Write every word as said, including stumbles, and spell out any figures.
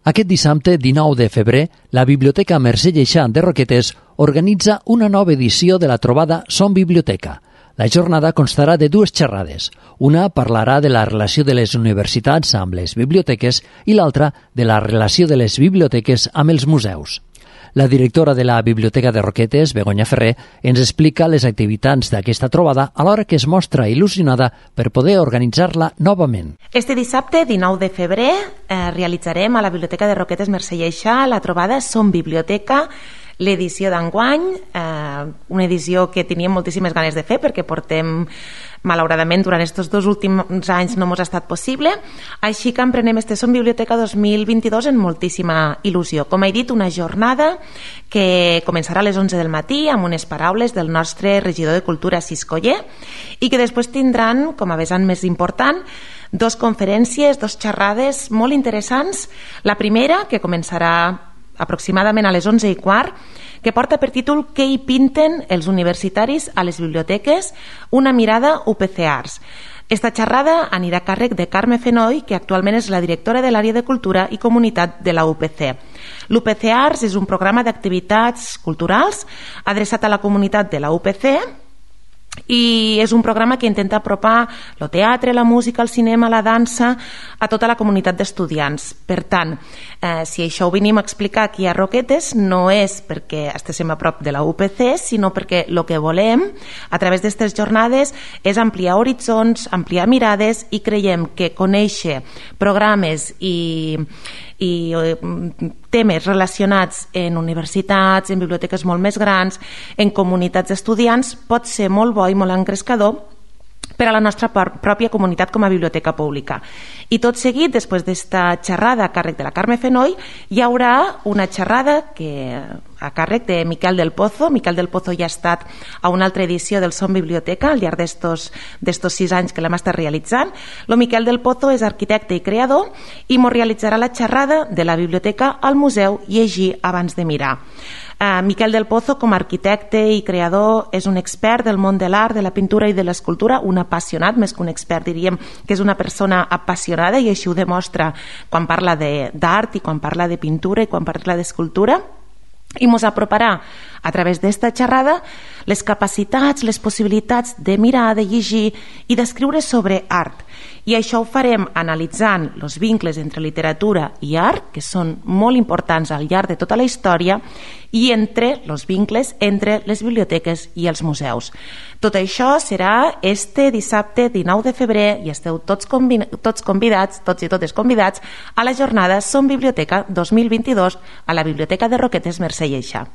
Aquest dissabte, dinou de febrer, la Biblioteca Mercè Lleixà de Roquetes organitza una nova edició de la trobada Som Biblioteca. La jornada constarà de dues xerrades. Una parlarà de la relació de les universitats amb les biblioteques i l'altra de la relació de les biblioteques amb els museus. La directora de la Biblioteca de Roquetes, Begoña Ferrer, ens explica les activitats d'aquesta trobada alhora que es mostra il·lusionada per poder organitzar-la novament. Este dissabte, dinou de febrer, eh, realitzarem a la Biblioteca de Roquetes Mercè Lleixà la trobada Som Biblioteca, l'edició d'enguany, eh, una edició que teníem moltíssimes ganes de fer perquè portem, malauradament, durant aquests dos últims anys no ens ha estat possible, així que emprenem este Som Biblioteca dos mil vint-i-dos en moltíssima il·lusió. Com he dit, una jornada que començarà a les onze del matí amb unes paraules del nostre regidor de Cultura, Cis Coller, i que després tindran, com a vessant més important, dos conferències, dos xerrades molt interessants. La primera, que començarà aproximadament a les onze i quart, que porta per títol Què hi pinten els universitaris a les biblioteques? Una mirada U P C Arts. Esta xerrada anirà a càrrec de Carme Fenoy, que actualment és la directora de l'àrea de Cultura i Comunitat de la U P C. L'U P C Arts és un programa d'activitats culturals adreçat a la comunitat de la U P C i és un programa que intenta apropar el teatre, la música, el cinema, la dansa a tota la comunitat d'estudiants. Per tant, eh, si això ho venim a explicar aquí a Roquetes, no és perquè estiguem a prop de la U P C, sinó perquè el que volem a través d'aquestes jornades és ampliar horitzons, ampliar mirades, i creiem que conèixer programes i i temes relacionats en universitats, en biblioteques molt més grans, en comunitats d'estudiants, pot ser molt bo i molt engrescador per a la nostra pròpia comunitat com a biblioteca pública. I tot seguit, després d'esta xerrada a càrrec de la Carme Fenoy, hi haurà una xerrada que a càrrec de Miquel del Pozo. Miquel del Pozo ja ha estat a una altra edició del Som Biblioteca al llarg d'estos sis anys que l'hem estat realitzant. Lo Miquel del Pozo és arquitecte i creador i mos realitzarà la xerrada de la biblioteca al museu Llegir abans de mirar. Uh, Miquel del Pozo, com a arquitecte i creador, és un expert del món de l'art, de la pintura i de l'escultura, un apassionat, més que un expert, diríem que és una persona apassionada, i així ho demostra quan parla d'art i quan parla de pintura i quan parla d'escultura, i ens aproparà a través d'esta xerrada les capacitats, les possibilitats de mirar, de llegir i d'escriure sobre art. I això ho farem analitzant els vincles entre literatura i art, que són molt importants al llarg de tota la història, i entre els vincles entre les biblioteques i els museus. Tot això serà este dissabte dinou de febrer i esteu tots, convi tots convidats, tots i totes convidats, a la jornada Som Biblioteca dos mil vint-i-dos a la Biblioteca de Roquetes Mercè Lleixà.